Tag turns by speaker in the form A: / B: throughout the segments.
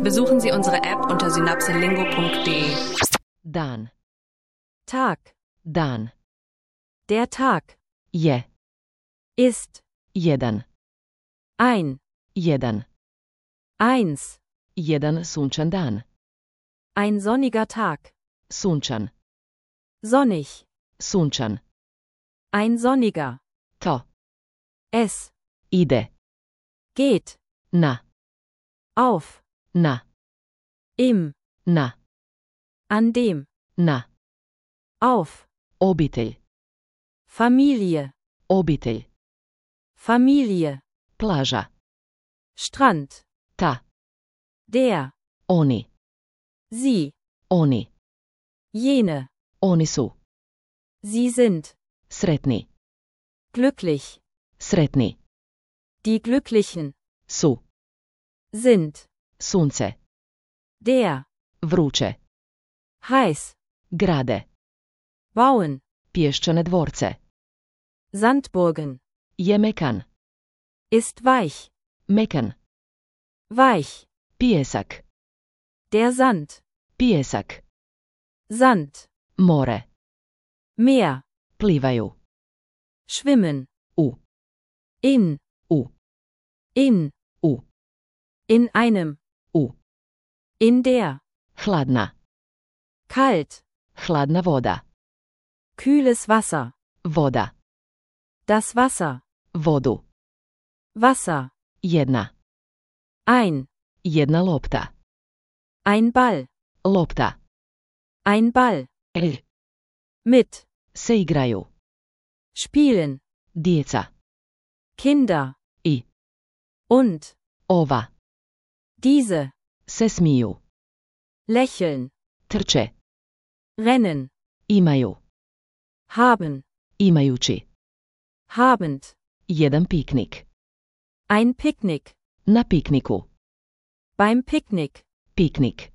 A: Besuchen Sie unsere App unter synapselingo.de.
B: Dan.
C: Tag,
B: Dan.
C: der Tag,
B: Je.
C: ist,
B: Jedan.
C: ein,
B: Jedan.
C: eins,
B: Jedan sunčan dan.
C: ein sonniger Tag,
B: Sunčan.
C: sonnig,
B: Sunčan.
C: ein sonniger,
B: To.
C: es,
B: Ide.
C: geht,
B: Na.
C: auf,
B: Na.
C: im,
B: Na.
C: an dem,
B: Na.
C: auf,
B: Obitelj.
C: Familie,
B: Obitelj.
C: Familie,
B: Plaža.
C: Strand,
B: Ta.
C: der,
B: Oni.
C: sie,
B: Oni.
C: jene,
B: Oni su.
C: sie sind,
B: Sretni.
C: glücklich,
B: Sretni.
C: die Glücklichen,
B: Su.
C: sind,
B: Sunce.
C: der,
B: Vruće.
C: heiß,
B: Grade.
C: bauen,
B: Pješčane dvorce.
C: Sandburgen,
B: Je mekan.
C: ist weich,
B: Mekan.
C: weich,
B: Pijesak.
C: der Sand,
B: Pijesak.
C: Sand,
B: More.
C: Meer,
B: Plivaju.
C: schwimmen,
B: U.
C: in,
B: U.
C: in einem,
B: U.
C: in der,
B: Hladna.
C: kalt,
B: Hladna voda.
C: kühles Wasser,
B: Voda.
C: das Wasser,
B: Vodu.
C: Wasser,
B: Jedna.
C: ein,
B: Jedna lopta.
C: ein Ball,
B: Lopta.
C: ein Ball, mit,
B: Se igraju.
C: spielen,
B: Djeca.
C: Kinder,
B: I.
C: und,
B: Ova.
C: diese,
B: Se smiju.
C: lächeln,
B: Trče.
C: rennen,
B: Imaju.
C: haben,
B: Imajući.
C: habend,
B: Jedan piknik.
C: ein Picknick,
B: Na pikniku.
C: beim Picknick,
B: Piknik.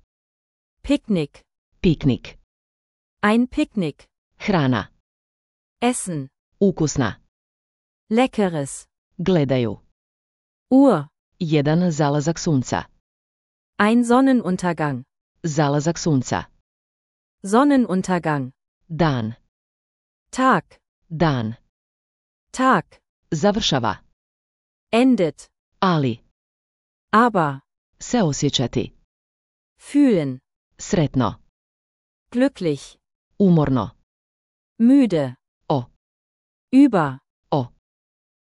C: Picknick,
B: Piknik.
C: ein Picknick,
B: Hrana.
C: Essen,
B: Ukusna.
C: Leckeres,
B: Gledaju.
C: Uhr,
B: Jedan zalazak sunca.
C: ein Sonnenuntergang,
B: Zalazak sunca.
C: Sonnenuntergang,
B: Dan.
C: Tag,
B: Dan.
C: Tag,
B: Završava.
C: endet,
B: Ali.
C: aber,
B: Se osjećati.
C: fühlen,
B: Sretno.
C: glücklich,
B: Umorno.
C: müde,
B: O.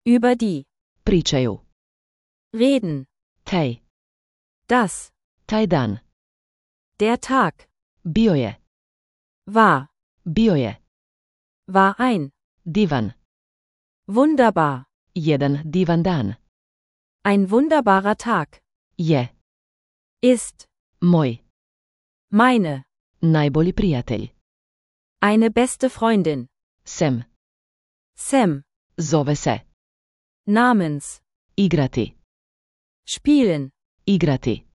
C: über die,
B: Pričaju.
C: reden,
B: Taj.
C: das,
B: Taj dan.
C: der Tag,
B: Bio je.
C: war,
B: Bio je.
C: war ein,
B: Divan.
C: wunderbar,
B: Jedan divan dan.
C: ein wunderbarer Tag,
B: Je.
C: ist,
B: Moj.
C: meine,
B: Najbolji prijatelj.
C: eine beste Freundin,
B: Sem.
C: Sam,
B: Zove se.
C: namens,
B: Igrati.
C: spielen,
B: Igrati.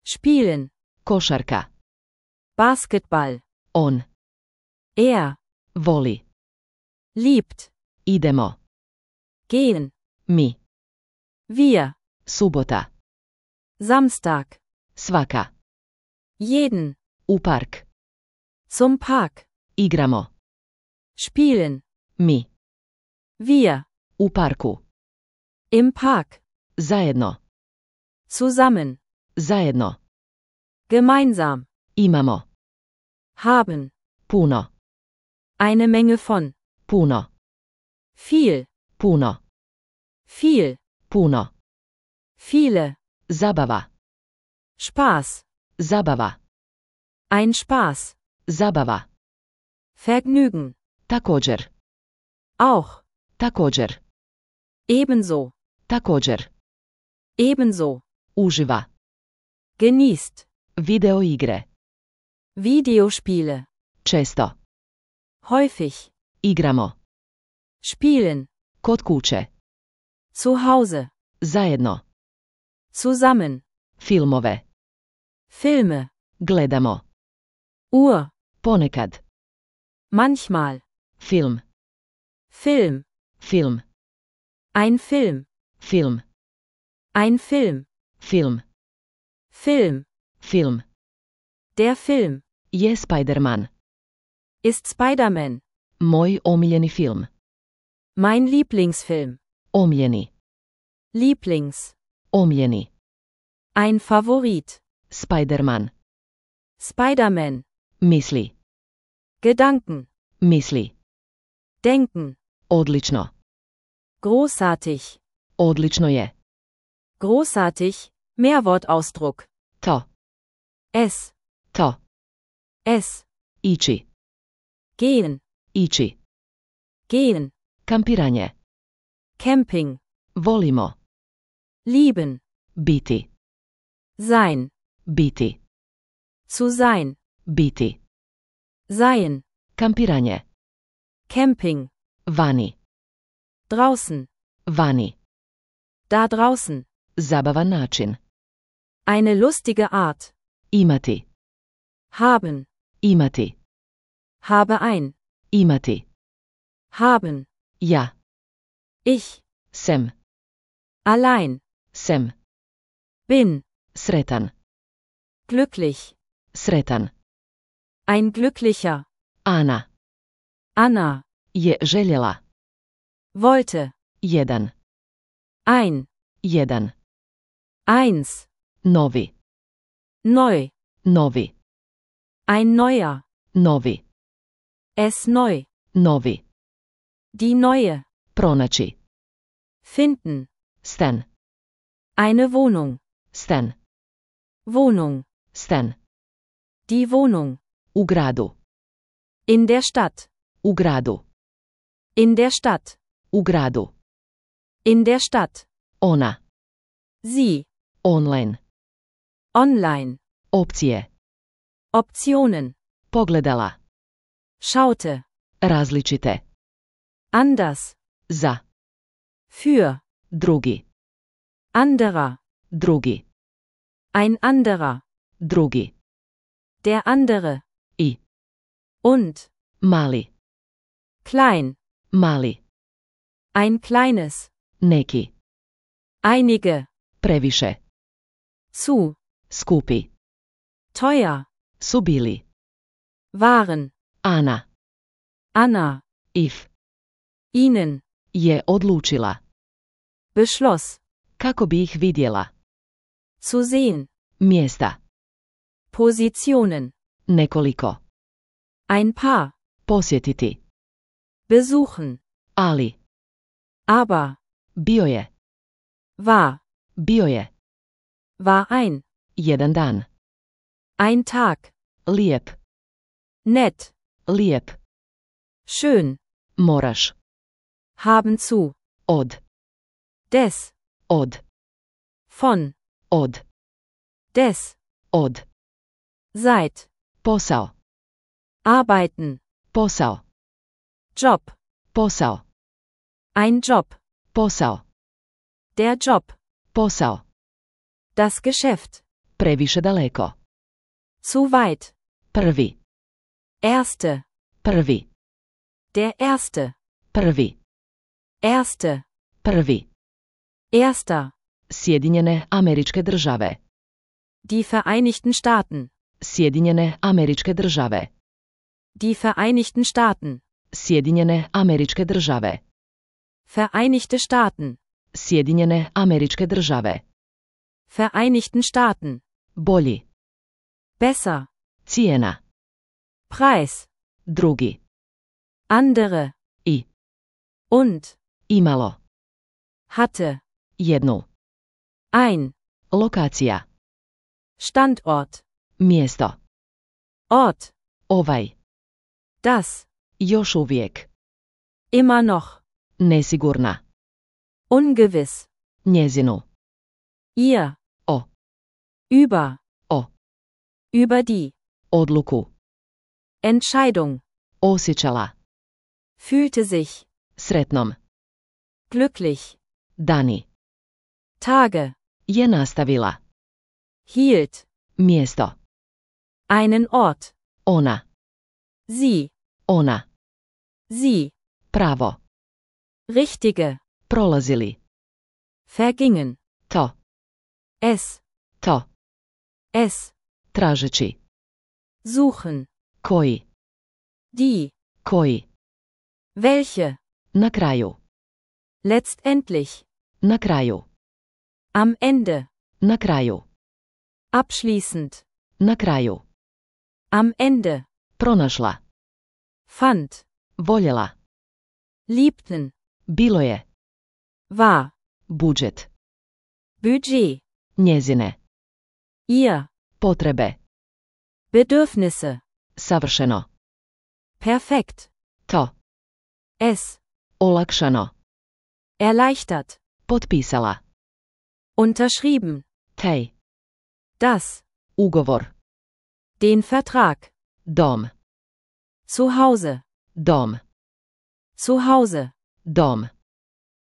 C: spielen,
B: Košarka.
C: Basketball,
B: On. Voli.
C: liebt,
B: Idemo.
C: gehen,
B: Mi.
C: wir,
B: Subota.
C: Samstag,
B: Svaka.
C: jeden,
B: U park.
C: zum Park,
B: Igramo.
C: spielen,
B: Mi.
C: wir,
B: U parku.
C: im Park,
B: Zajedno.
C: zusammen,
B: Zajedno.
C: gemeinsam,
B: Imamo.
C: haben,
B: Puno.
C: eine Menge von,
B: Puno.
C: viel,
B: Puno.
C: viel,
B: Puno.
C: viele,
B: Zabava.
C: Spaß,
B: Zabava.
C: ein Spaß,
B: Zabava.
C: Vergnügen,
B: Također.
C: auch,
B: Također.
C: ebenso,
B: Također.
C: ebenso,
B: Uživa.
C: genießt,
B: Video igre.
C: Videospiele,
B: Često.
C: häufig,
B: Igramo.
C: spielen,
B: Kod kuće.
C: zu Hause,
B: Zajedno.
C: zusammen,
B: Filmove.
C: Filme,
B: Gledamo.
C: Uhr,
B: Ponekad.
C: manchmal,
B: Film.
C: Film,
B: Film.
C: ein Film,
B: Film.
C: ein Film,
B: Film.
C: Film.
B: Film.
C: Der Film.
B: Je Spider-Man.
C: Ist Spider-Man.
B: Moj omiljeni film.
C: Mein Lieblingsfilm.
B: Omiljeni.
C: Lieblings.
B: Omiljeni.
C: Ein Favorit.
B: Spider-Man.
C: Spider-Man.
B: Misli.
C: Gedanken.
B: Misli.
C: Denken.
B: Odlično.
C: Großartig.
B: Odlično je.
C: Großartig. Mehrwortausdruck.
B: To.
C: Es.
B: To.
C: Es.
B: Ići.
C: Gehen.
B: Ići.
C: Gehen.
B: Kampiranje.
C: Camping.
B: Volimo.
C: Lieben.
B: Biti.
C: Sein.
B: Biti.
C: Zu sein.
B: Biti.
C: Seien.
B: Kampiranje.
C: Camping.
B: Vani.
C: Draußen.
B: Vani.
C: Da draußen.
B: Zabavan način.
C: Eine lustige Art.
B: Imati.
C: Haben.
B: Imati.
C: Habe ein.
B: Imati.
C: Haben.
B: Ja.
C: Ich.
B: Sem.
C: Allein.
B: Sem.
C: Bin.
B: Sretan.
C: Glücklich.
B: Sretan.
C: Ein glücklicher.
B: Ana.
C: Anna.
B: Je željela.
C: Wollte.
B: Jedan.
C: Ein.
B: Jedan.
C: Eins.
B: Novi.
C: Neu.
B: Novi.
C: Ein neuer.
B: Novi.
C: Es neu.
B: Novi.
C: Die neue.
B: Pronaći.
C: Finden.
B: Stan.
C: Eine Wohnung.
B: Stan.
C: Wohnung.
B: Stan.
C: Die Wohnung.
B: U gradu.
C: In der Stadt.
B: U gradu.
C: In der Stadt.
B: U gradu.
C: In der Stadt.
B: Ona.
C: Sie.
B: Online.
C: Online.
B: Opcije.
C: Optionen.
B: Pogledala.
C: Schaute.
B: Različite.
C: Anders.
B: Za.
C: Für.
B: Drugi.
C: Anderer.
B: Drugi.
C: Ein anderer.
B: Drugi.
C: Der andere.
B: I.
C: Und.
B: Mali.
C: Klein.
B: Mali.
C: Ein kleines.
B: Neki.
C: Einige.
B: Previše.
C: Zu.
B: Skupi.
C: Teuer.
B: Su bili.
C: Waren.
B: Ana.
C: Anna.
B: If.
C: Ihnen.
B: Je odlučila.
C: Beschloss.
B: Kako bi ih vidjela.
C: Zu sehen.
B: Mjesta.
C: Positionen.
B: Nekoliko.
C: Ein paar.
B: Posjetiti.
C: Besuchen.
B: Ali.
C: Aber.
B: Bio je.
C: War.
B: Bio je.
C: War ein.
B: Jedan dan.
C: Ein Tag.
B: Lijep.
C: Nett.
B: Lijep.
C: Schön.
B: Moraš.
C: Haben zu.
B: Od.
C: Des.
B: Od.
C: Von.
B: Od.
C: Des.
B: Od.
C: Seit.
B: Posao.
C: Arbeiten.
B: Posao.
C: Job.
B: Posao.
C: Ein Job.
B: Posao.
C: Der Job.
B: Posao.
C: Das Geschäft.
B: Previše daleko.
C: Zu weit.
B: Prvi.
C: Erste.
B: Prvi.
C: Der Erste.
B: Prvi.
C: Erste.
B: Prvi.
C: Erster.
B: Sjedinjene Američke Države.
C: Die Vereinigten Staaten.
B: Sjedinjene Američke Države.
C: Die Vereinigten Staaten.
B: Sjedinjene Američke Države.
C: Vereinigte Staaten.
B: Sjedinjene Američke Države.
C: Vereinigten Staaten.
B: Bolji.
C: Besser.
B: Cijena.
C: Preis.
B: Drugi.
C: Andere.
B: I.
C: Und.
B: Imalo.
C: Hatte.
B: Jednu.
C: Ein.
B: Lokacija.
C: Standort.
B: Mjesto.
C: Ort.
B: Ovaj.
C: Das.
B: Još uvijek.
C: Immer noch.
B: Nesigurna.
C: Ungewiss.
B: Njezinu.
C: Ihr.
B: O.
C: Über.
B: O.
C: Über die.
B: Odluku.
C: Entscheidung.
B: Osjećala.
C: Fühlte sich.
B: Sretnom.
C: Glücklich.
B: Dani.
C: Tage.
B: Je nastavila.
C: Hielt.
B: Mjesto.
C: Einen Ort.
B: Ona.
C: Sie.
B: Ona.
C: Sie.
B: Pravo.
C: Richtige.
B: Prolazili.
C: Vergingen.
B: To.
C: Es.
B: To.
C: Es.
B: Tražeći.
C: Suchen.
B: Koji.
C: Die.
B: Koji.
C: Welche.
B: Na kraju.
C: Letztendlich.
B: Na kraju.
C: Am Ende.
B: Na kraju.
C: Abschließend.
B: Na kraju.
C: Am Ende.
B: Pronašla.
C: Fand.
B: Voljela.
C: Liebten.
B: Bilo je.
C: War.
B: Budžet.
C: Budget.
B: Njezine.
C: Ihr.
B: Potrebe.
C: Bedürfnisse.
B: Savršeno.
C: Perfekt.
B: To.
C: Es.
B: Olakšano.
C: Erleichtert.
B: Potpisala.
C: Unterschrieben.
B: Tej.
C: Das.
B: Ugovor.
C: Den Vertrag.
B: Dom.
C: Zu Hause.
B: Dom.
C: Zu Hause.
B: Dom.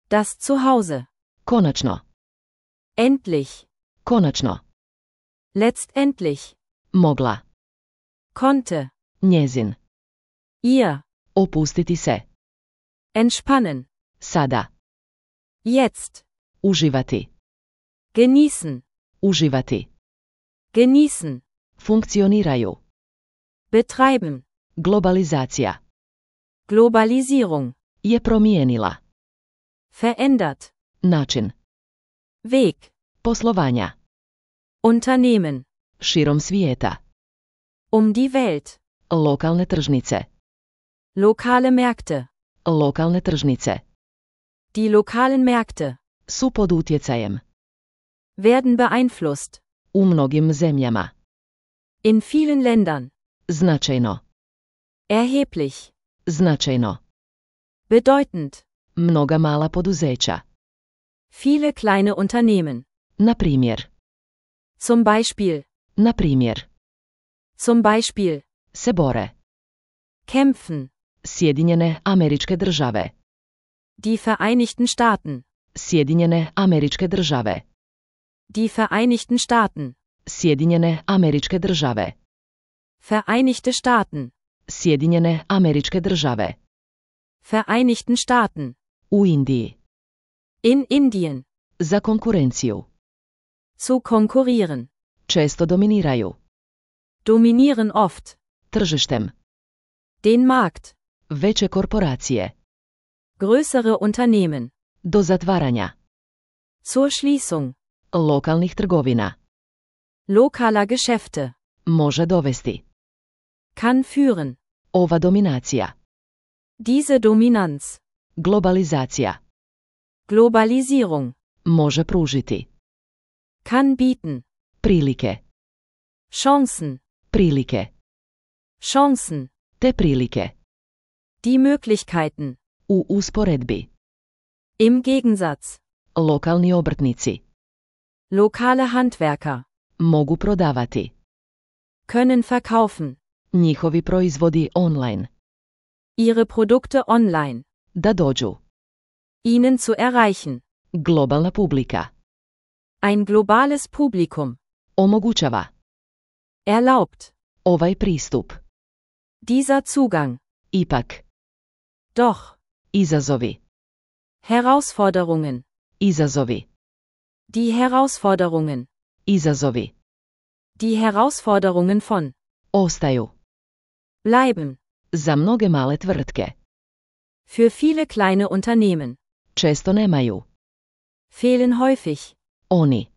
C: Das Zuhause.
B: Konačno.
C: Endlich.
B: Konačno.
C: Letztendlich.
B: Mogla.
C: Konnte.
B: Njezin.
C: Ihr.
B: Opustiti se.
C: Entspannen.
B: Sada.
C: Jetzt.
B: Uživati.
C: Genießen.
B: Uživati.
C: Genießen.
B: Funkcioniraju.
C: Betreiben.
B: Globalizacija.
C: Globalisierung.
B: Je promijenila.
C: Verändert.
B: Način.
C: Weg.
B: Poslovanja.
C: Unternehmen.
B: Širom svijeta.
C: Um die Welt.
B: Lokalne tržnice.
C: Lokale Märkte.
B: Lokalne tržnice.
C: Die lokalen Märkte.
B: Su pod utjecajem.
C: Werden beeinflusst.
B: U mnogim zemljama.
C: In vielen Ländern.
B: Značajno.
C: Erheblich.
B: Značajno.
C: Bedeutend.
B: Mnoga mala poduzeća.
C: Viele kleine Unternehmen.
B: Na primjer.
C: Zum Beispiel.
B: Na primjer.
C: Zum Beispiel.
B: Se bore.
C: Kämpfen.
B: Sjedinjene Američke Države.
C: Die Vereinigten Staaten.
B: Sjedinjene Američke Države.
C: Die Vereinigten Staaten.
B: Sjedinjene Američke Države.
C: Vereinigte Staaten.
B: Sjedinjene Američke Države.
C: Vereinigten Staaten.
B: U Indiji.
C: In Indien.
B: Za konkurenciju.
C: Zu konkurrieren.
B: Često dominiraju.
C: Dominieren oft.
B: Tržištem.
C: Den Markt.
B: Veće korporacije.
C: Größere Unternehmen.
B: Do zatvaranja.
C: Zur Schließung.
B: Lokalnih trgovina.
C: Lokaler Geschäfte.
B: Može dovesti.
C: Kann führen.
B: Ova dominacija.
C: Diese Dominanz.
B: Globalizacija.
C: Globalisierung.
B: Može pružiti.
C: Kann bieten.
B: Prilike.
C: Chancen.
B: Prilike.
C: Chancen.
B: Te prilike.
C: Die Möglichkeiten.
B: U usporedbi.
C: Im Gegensatz.
B: Lokalni obrtnici.
C: Lokale Handwerker.
B: Mogu prodavati.
C: Können verkaufen.
B: Njihovi proizvodi online.
C: Ihre Produkte online.
B: Da dođu.
C: Ihnen zu erreichen.
B: Globalna publika.
C: Ein globales Publikum.
B: Omogućava.
C: Erlaubt.
B: Ovaj pristup.
C: Dieser Zugang.
B: Ipak.
C: Doch.
B: Izazovi.
C: Herausforderungen.
B: Izazovi.
C: Die Herausforderungen.
B: Izazovi.
C: Die Herausforderungen von.
B: Ostaju.
C: Bleiben.
B: Za mnoge male tvrtke.
C: Für viele kleine Unternehmen.
B: Često nemaju.
C: Fehlen häufig.
B: Oni.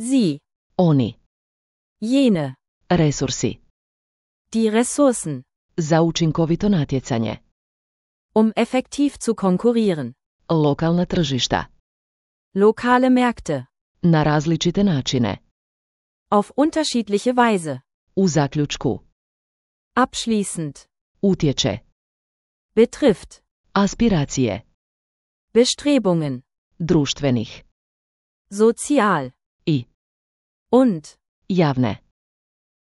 C: Sie.
B: Oni.
C: Jene.
B: Resursi.
C: Die Ressourcen.
B: Za učinkovito natjecanje.
C: Um effektiv zu konkurrieren.
B: Lokalna tržišta.
C: Lokale Märkte.
B: Na različite načine.
C: Auf unterschiedliche Weise.
B: U zaključku.
C: Abschließend.
B: Utječe.
C: Betrifft.
B: Aspiracije.
C: Bestrebungen.
B: Društvenih.
C: Sozial.
B: I.
C: Und.
B: Javne.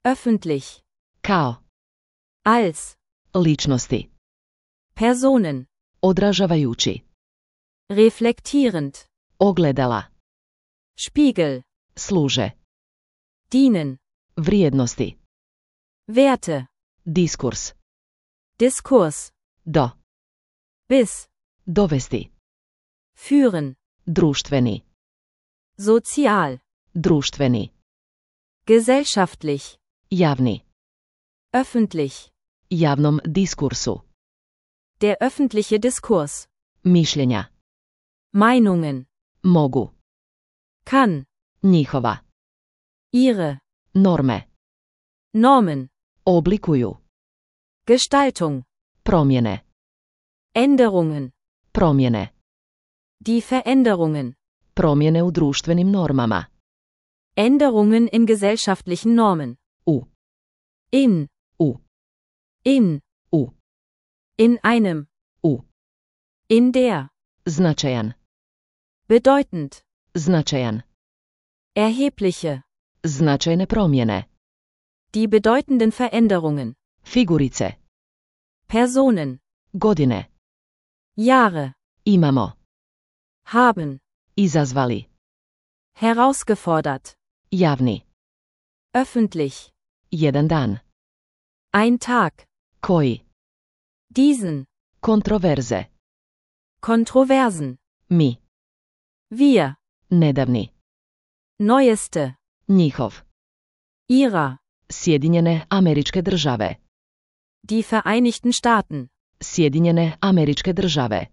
C: Öffentlich.
B: Kao.
C: Als.
B: Ličnosti.
C: Personen.
B: Odražavajući.
C: Reflektierend.
B: Ogledala.
C: Spiegel.
B: Služe.
C: Dienen.
B: Vrijednosti.
C: Werte.
B: Diskurs.
C: Diskurs.
B: Do.
C: Bis.
B: Dovesti.
C: Führen.
B: Društveni.
C: Sozial.
B: Društveni.
C: Gesellschaftlich.
B: Javni.
C: Öffentlich.
B: Javnom diskursu.
C: Der öffentliche Diskurs.
B: Mišljenja.
C: Meinungen.
B: Mogu.
C: Kann.
B: Njihova.
C: Ihre.
B: Norme.
C: Normen.
B: Oblikuju.
C: Gestaltung.
B: Promjene.
C: Änderungen.
B: Promjene.
C: Die Veränderungen.
B: Promjene u društvenim normama.
C: Änderungen in gesellschaftlichen Normen.
B: U.
C: In.
B: U.
C: In.
B: U.
C: In einem.
B: U.
C: In der.
B: Značajan.
C: Bedeutend.
B: Značajan.
C: Erhebliche.
B: Značajne promjene.
C: Die bedeutenden Veränderungen.
B: Figurice.
C: Personen.
B: Godine.
C: Jahre.
B: Imamo.
C: Haben.
B: Izazvali.
C: Herausgefordert.
B: Javni.
C: Öffentlich.
B: Jedan dan.
C: Ein Tag.
B: Koji.
C: Diesen.
B: Kontroverze.
C: Kontroversen.
B: Mi.
C: Wir.
B: Nedavni.
C: Neueste.
B: Njihov.
C: Ihrer.
B: Sjedinjene Američke Države.
C: Die Vereinigten Staaten.
B: Sjedinjene Američke Države.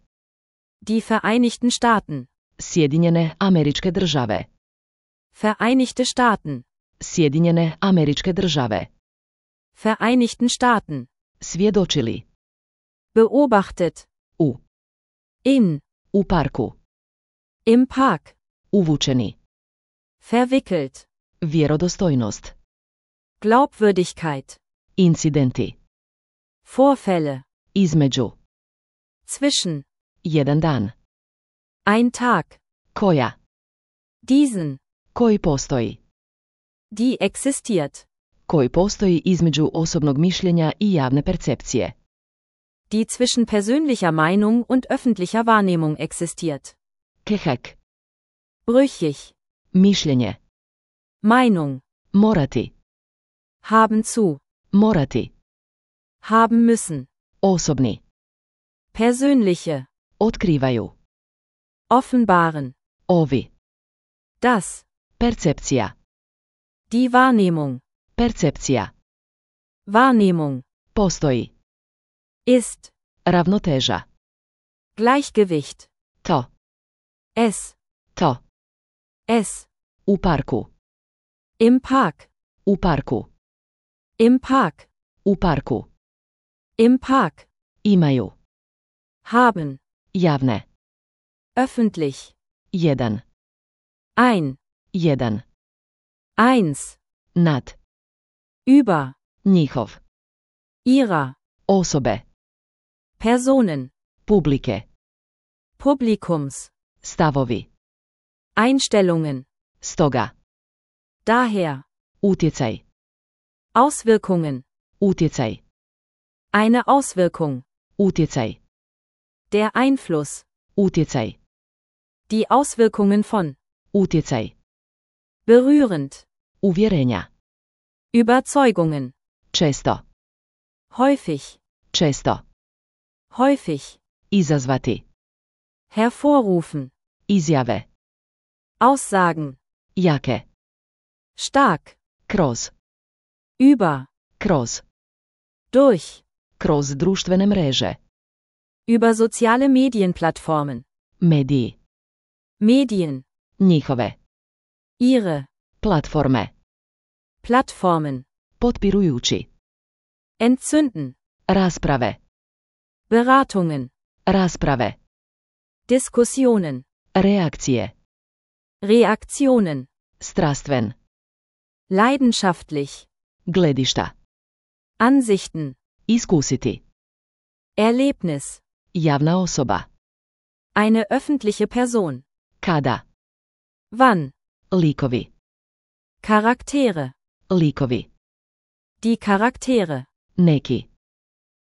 C: Die Vereinigten Staaten.
B: Sjedinjene Američke Države.
C: Vereinigte Staaten.
B: Sjedinjene Američke Države.
C: Vereinigten Staaten.
B: Svjedočili.
C: Beobachtet.
B: U.
C: In.
B: U parku.
C: Im Park.
B: Uvučeni.
C: Verwickelt.
B: Vjerodostojnost.
C: Glaubwürdigkeit.
B: Incidenti.
C: Vorfälle.
B: Između.
C: Zwischen.
B: Jedan dan.
C: Ein Tag.
B: Koja.
C: Diesen.
B: Koji postoji.
C: Die existiert.
B: Koji postoji između osobnog mišljenja i javne percepcije.
C: Die zwischen persönlicher Meinung und öffentlicher Wahrnehmung existiert.
B: Kehek.
C: Brüchig.
B: Mišljenje.
C: Meinung.
B: Morati.
C: Haben zu.
B: Morati.
C: Haben müssen.
B: Osobni.
C: Persönliche.
B: Otkrivaju.
C: Offenbaren.
B: Ovi.
C: Das.
B: Percepcija.
C: Die Wahrnehmung.
B: Percepcija.
C: Wahrnehmung.
B: Postoji.
C: Ist.
B: Ravnoteža.
C: Gleichgewicht.
B: To.
C: Es.
B: To.
C: Es.
B: U parku.
C: Im Park.
B: U parku.
C: Im Park.
B: U parku.
C: Im Park.
B: Imaju.
C: Haben.
B: Javne.
C: Öffentlich.
B: Jedan.
C: Ein.
B: Jedan.
C: Eins.
B: Nad.
C: Über.
B: Njihov.
C: Ihrer.
B: Osobe.
C: Personen.
B: Publike.
C: Publikums.
B: Stavovi.
C: Einstellungen.
B: Stoga.
C: Daher.
B: Utjecaj.
C: Auswirkungen.
B: Utjecaj.
C: Eine Auswirkung.
B: Utjecaj.
C: Der Einfluss.
B: Utjecaj.
C: Die Auswirkungen von.
B: Utjecaj.
C: Berührend.
B: Uvjerenja.
C: Überzeugungen.
B: Često.
C: Häufig.
B: Često.
C: Häufig.
B: Izazvati.
C: Hervorrufen.
B: Izjave.
C: Aussagen.
B: Jake.
C: Stark.
B: Kroz.
C: Über.
B: Kroz.
C: Durch.
B: Kroz društvene mreže.
C: Über soziale Medienplattformen.
B: Mediji.
C: Medien.
B: Njihove.
C: Ihre.
B: Platforme.
C: Plattformen.
B: Potpirujući.
C: Entzünden.
B: Rasprave.
C: Beratungen.
B: Rasprave.
C: Diskussionen.
B: Reakcije.
C: Reaktionen.
B: Strastven.
C: Leidenschaftlich.
B: Gledišta.
C: Ansichten.
B: Iskusiti.
C: Erlebnis.
B: Javna osoba.
C: Eine öffentliche Person.
B: Kada.
C: Wann.
B: Likovi.
C: Charaktere.
B: Likovi.
C: Die Charaktere.
B: Neki.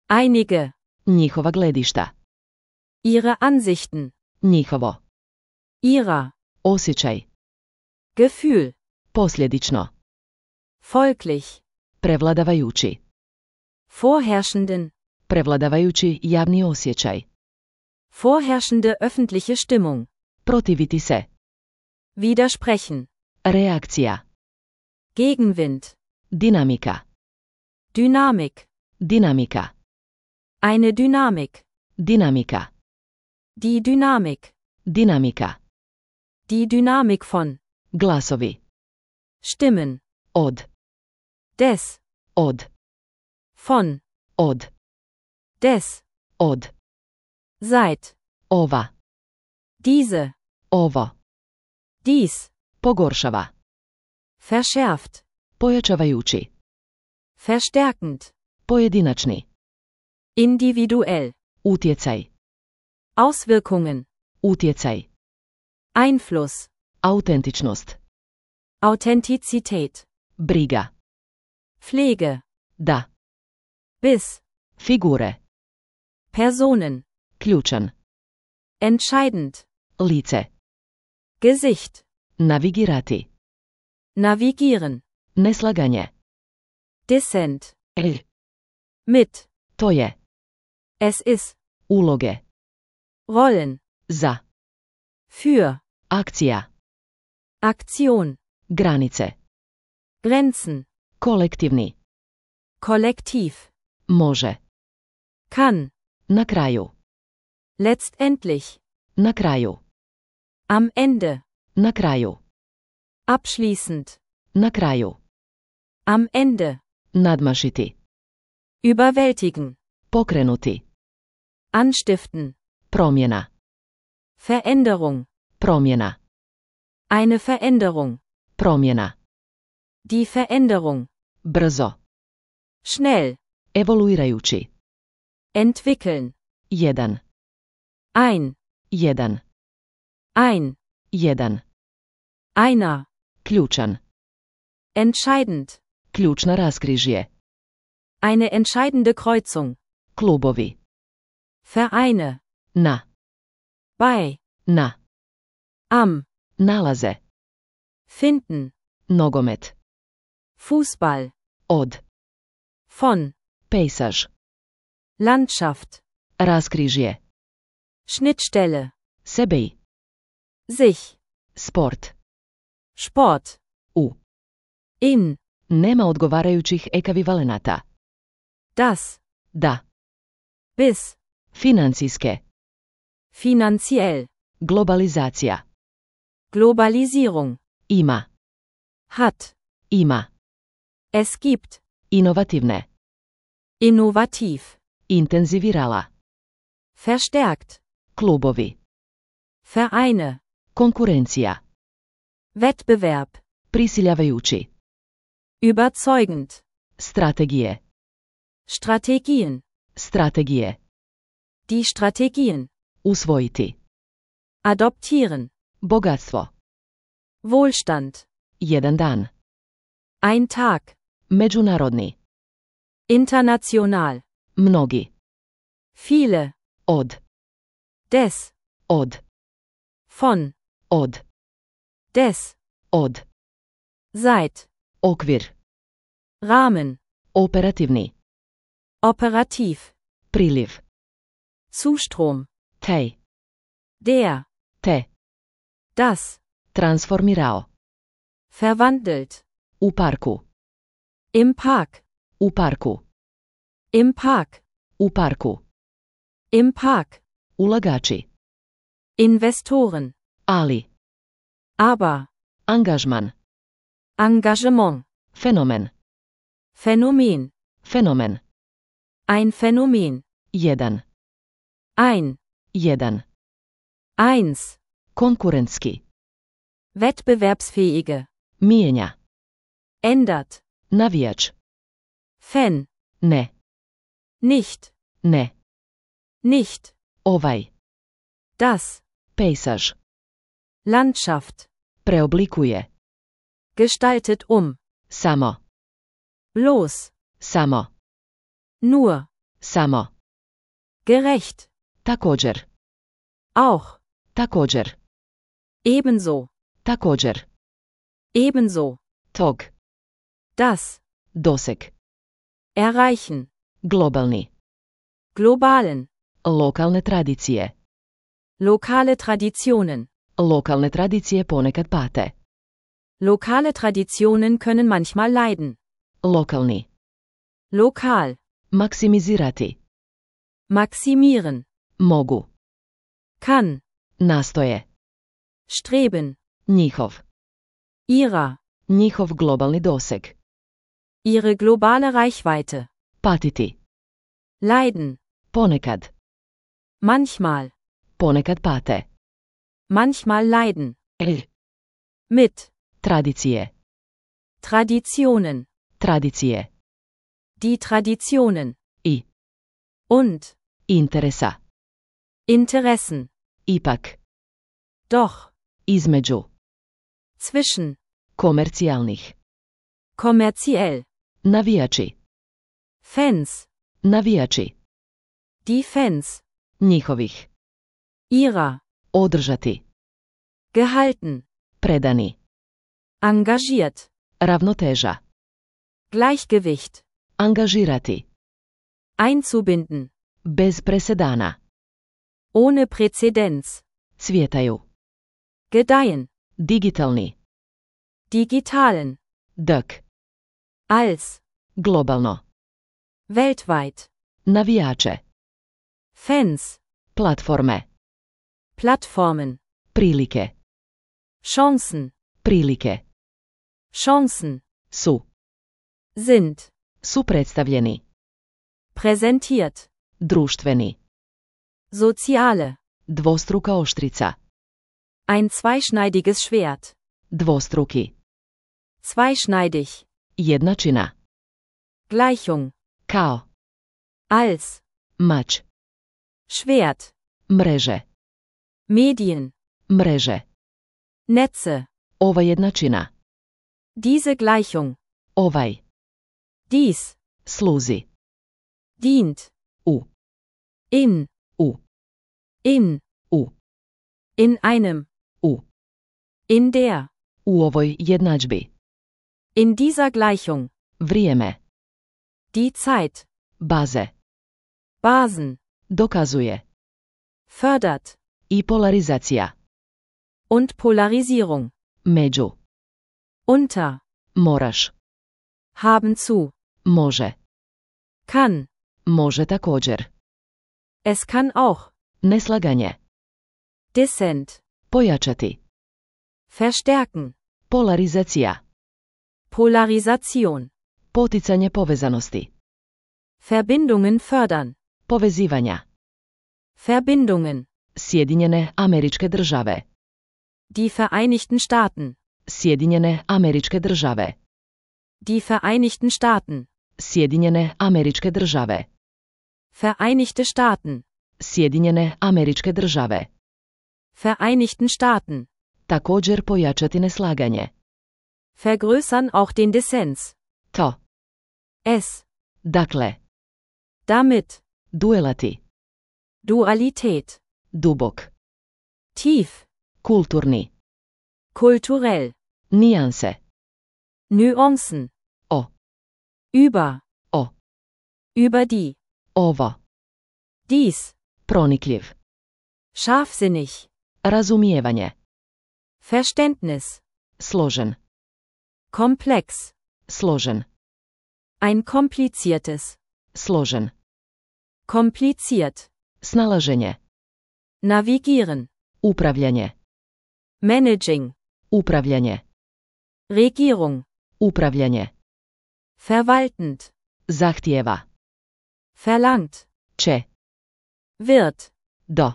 C: Einige.
B: Njihova gledišta.
C: Ihre Ansichten.
B: Njihovo.
C: Ihrer.
B: Osjećaj.
C: Gefühl.
B: Posljedično.
C: Folglich.
B: Prevladavajući.
C: Vorherrschenden.
B: Prevladavajući javni osjećaj.
C: Vorherrschende öffentliche Stimmung.
B: Protiviti se.
C: Widersprechen.
B: Reakcija.
C: Gegenwind.
B: Dinamika.
C: Dynamik.
B: Dinamika.
C: Eine Dynamik.
B: Dinamika.
C: Die Dynamik.
B: Dinamika.
C: Die Dynamik von.
B: Glasovi.
C: Stimmen.
B: Od.
C: Des.
B: Od.
C: Von.
B: Od.
C: Des.
B: Od.
C: Seit.
B: Ova.
C: Diese.
B: Ovo.
C: Dies.
B: Pogoršava.
C: Verschärft.
B: Pojačavajući.
C: Verstärkend.
B: Pojedinačni.
C: Individuell.
B: Utjecaj.
C: Auswirkungen.
B: Utjecaj.
C: Einfluss.
B: Autentičnost.
C: Authentizität.
B: Briga.
C: Pflege.
B: Da.
C: Bis.
B: Figure.
C: Personen.
B: Ključan.
C: Entscheidend.
B: Lice.
C: Gesicht.
B: Navigirati.
C: Navigieren.
B: Neslaganje.
C: Dissent.
B: L.
C: Mit.
B: To je.
C: Es ist.
B: Uloge.
C: Rollen.
B: Za.
C: Für.
B: Akcija.
C: Aktion.
B: Granice.
C: Grenzen.
B: Kolektivni.
C: Kollektiv.
B: Može.
C: Kann.
B: Na kraju.
C: Letztendlich.
B: Na kraju.
C: Am Ende.
B: Na kraju.
C: Abschließend.
B: Na kraju.
C: Am Ende.
B: Nadmašiti.
C: Überwältigen.
B: Pokrenuti.
C: Anstiften.
B: Promjena.
C: Veränderung.
B: Promjena.
C: Eine Veränderung.
B: Promjena.
C: Die Veränderung.
B: Brzo.
C: Schnell.
B: Evoluirajući.
C: Entwickeln.
B: Jedan.
C: Ein.
B: Jedan.
C: Ein.
B: Jedan.
C: Einer.
B: Ključan.
C: Entscheidend.
B: Ključna raskrižje.
C: Eine entscheidende Kreuzung.
B: Klubovi.
C: Vereine.
B: Na.
C: Bei.
B: Na.
C: Am.
B: Nalaze.
C: Finden.
B: Nogomet.
C: Fußball.
B: Od.
C: Von.
B: Pejsaž.
C: Landschaft.
B: Raskrižje.
C: Schnittstelle.
B: Sebej.
C: Sich.
B: Sport.
C: Sport.
B: U.
C: In.
B: Nema odgovarajućih ekvivalenata.
C: Das.
B: Da.
C: Bis.
B: Financijske.
C: Finanziell.
B: Globalizacija.
C: Globalisierung.
B: Ima.
C: Hat.
B: Ima.
C: Es gibt.
B: Inovativne.
C: Innovativ.
B: Intenzivirala.
C: Verstärkt.
B: Klubovi.
C: Vereine.
B: Konkurencija.
C: Wettbewerb.
B: Prisiljavajući.
C: Überzeugend.
B: Strategije.
C: Strategien.
B: Strategije.
C: Die Strategien.
B: Usvojiti.
C: Adoptieren.
B: Bogatstvo.
C: Wohlstand.
B: Jedan dan.
C: Ein Tag.
B: Međunarodni.
C: International.
B: Mnogi.
C: Viele.
B: Od.
C: Des.
B: Od.
C: Von.
B: Od.
C: Des.
B: Od.
C: Seit.
B: Okvir.
C: Rahmen.
B: Operativni.
C: Operativ.
B: Priliv.
C: Zustrom.
B: Tej.
C: Der.
B: Te.
C: Das.
B: Transformirao.
C: Verwandelt.
B: U parku.
C: Im Park.
B: U parku.
C: Im Park.
B: U parku.
C: Im Park.
B: Ulagači.
C: Investoren.
B: Ali.
C: Aber.
B: Angažman.
C: Engagement.
B: Fenomen.
C: Phänomen.
B: Fenomen.
C: Ein Phänomen.
B: Jedan.
C: Ein.
B: Jedan.
C: Eins.
B: Konkurentski.
C: Wettbewerbsfähige.
B: Mijenja.
C: Ändert.
B: Navijač.
C: Fan.
B: Ne.
C: Nicht.
B: Ne.
C: Nicht.
B: Ovaj.
C: Das.
B: Pejsaž.
C: Landschaft.
B: Preoblikuje.
C: Gestaltet
B: Samo.
C: Bloß.
B: Samo.
C: Nur.
B: Samo.
C: Gerecht.
B: Također.
C: Auch.
B: Također.
C: Ebenso.
B: Također.
C: Ebenso.
B: Tog.
C: Das.
B: Doseg.
C: Erreichen.
B: Globalni.
C: Globalen.
B: Lokalne tradicije.
C: Lokale Traditionen.
B: Lokalne tradicije ponekad pate.
C: Lokale Traditionen können manchmal leiden.
B: Lokalni.
C: Lokal.
B: Maksimizirati.
C: Maximieren.
B: Mogu.
C: Kann.
B: Nastoje.
C: Streben.
B: Njihov.
C: Ihrer.
B: Njihov globalni doseg.
C: Ihre globale Reichweite.
B: Patiti.
C: Leiden.
B: Ponekad.
C: Manchmal.
B: Ponekad pate.
C: Manchmal leiden.
B: L.
C: Mit.
B: Tradicije.
C: Traditionen.
B: Tradicije.
C: Die Traditionen.
B: I.
C: Und.
B: Interesa.
C: Interessen.
B: Ipak. Doch. Između.
C: Zwischen.
B: Komercijalnih.
C: Kommerziell.
B: Navijači.
C: Fans.
B: Navijači.
C: Die Fans.
B: Njihovih.
C: Ihrer.
B: Održati.
C: Gehalten.
B: Predani.
C: Engagiert.
B: Ravnoteža.
C: Gleichgewicht.
B: Angažirati.
C: Einzubinden.
B: Bez presedana.
C: Ohne Präzedenz.
B: Cvjetaju.
C: Gedeihen.
B: Digitalni.
C: Digitalen.
B: Dök.
C: Als.
B: Globalno.
C: Weltweit.
B: Navijače.
C: Fans.
B: Platforme.
C: Plattformen.
B: Prilike.
C: Chancen.
B: Prilike.
C: Chancen.
B: Su.
C: Sind.
B: Su predstavljeni.
C: Präsentiert.
B: Društveni.
C: Soziale.
B: Dvostruka oštrica.
C: Ein zweischneidiges Schwert.
B: Dvostruki.
C: Zweischneidig.
B: Jednačina.
C: Gleichung.
B: Kao.
C: Als.
B: Mač.
C: Schwert.
B: Mreže.
C: Medien.
B: Mreže.
C: Netze.
B: Ova jednačina.
C: Diese Gleichung.
B: Ovaj.
C: Dies.
B: Sluzi.
C: Dient.
B: U.
C: In.
B: U.
C: In.
B: U.
C: In einem.
B: U.
C: In der.
B: U ovoj jednadžbi.
C: In dieser Gleichung.
B: Vrijeme.
C: Die Zeit.
B: Baze.
C: Basen.
B: Dokazuje.
C: Fördert.
B: I polarizacija.
C: Und Polarisierung.
B: Među.
C: Unter.
B: Moraš.
C: Haben zu.
B: Može.
C: Kann.
B: Može također.
C: Es kann auch.
B: Neslaganje.
C: Dissent.
B: Pojačati.
C: Verstärken.
B: Polarizacija.
C: Polarisation.
B: Poticanje povezanosti.
C: Verbindungen fördern.
B: Povezivanja.
C: Verbindungen.
B: Sjedinjene Američke Države.
C: Die Vereinigten Staaten.
B: Sjedinjene Američke Države.
C: Die Vereinigten Staaten.
B: Sjedinjene Američke Države.
C: Vereinigte Staaten.
B: Sjedinjene Američke Države.
C: Vereinigten Staaten.
B: Također pojačati neslaganje.
C: Vergrößern auch den Dissens.
B: To.
C: Es.
B: Dakle.
C: Damit.
B: Duelati.
C: Dualität.
B: Dubok.
C: Tief.
B: Kulturni.
C: Kulturell.
B: Nijanse.
C: Nuancen.
B: O.
C: Über.
B: O.
C: Über die.
B: Ovo.
C: Dies.
B: Pronikljiv.
C: Scharfsinnig.
B: Razumijevanje.
C: Verständnis.
B: Složen.
C: Komplex.
B: Složen.
C: Ein kompliziertes.
B: Složen.
C: Kompliziert.
B: Snalaženje.
C: Navigieren.
B: Upravljanje.
C: Managing.
B: Upravljanje.
C: Regierung.
B: Upravljanje.
C: Verwaltend.
B: Zahtijeva.
C: Verlangt.
B: Će.
C: Wird.
B: Do.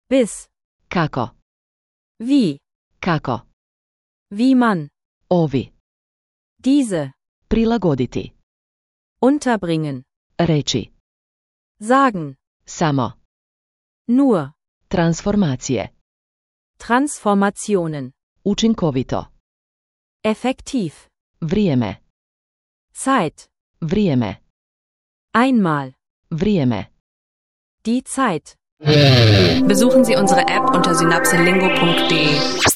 C: Bis.
B: Kako.
C: Wie.
B: Kako.
C: Wie man.
B: Ovi.
C: Diese.
B: Prilagoditi.
C: Unterbringen.
B: Reći.
C: Sagen.
B: Samo.
C: Nur.
B: Transformacije.
C: Transformationen.
B: Učinkovito.
C: Effektiv.
B: Vrijeme.
C: Zeit.
B: Vrijeme.
C: Einmal.
B: Vrijeme.
C: Die Zeit.
A: Besuchen Sie unsere App unter synapselingo.de.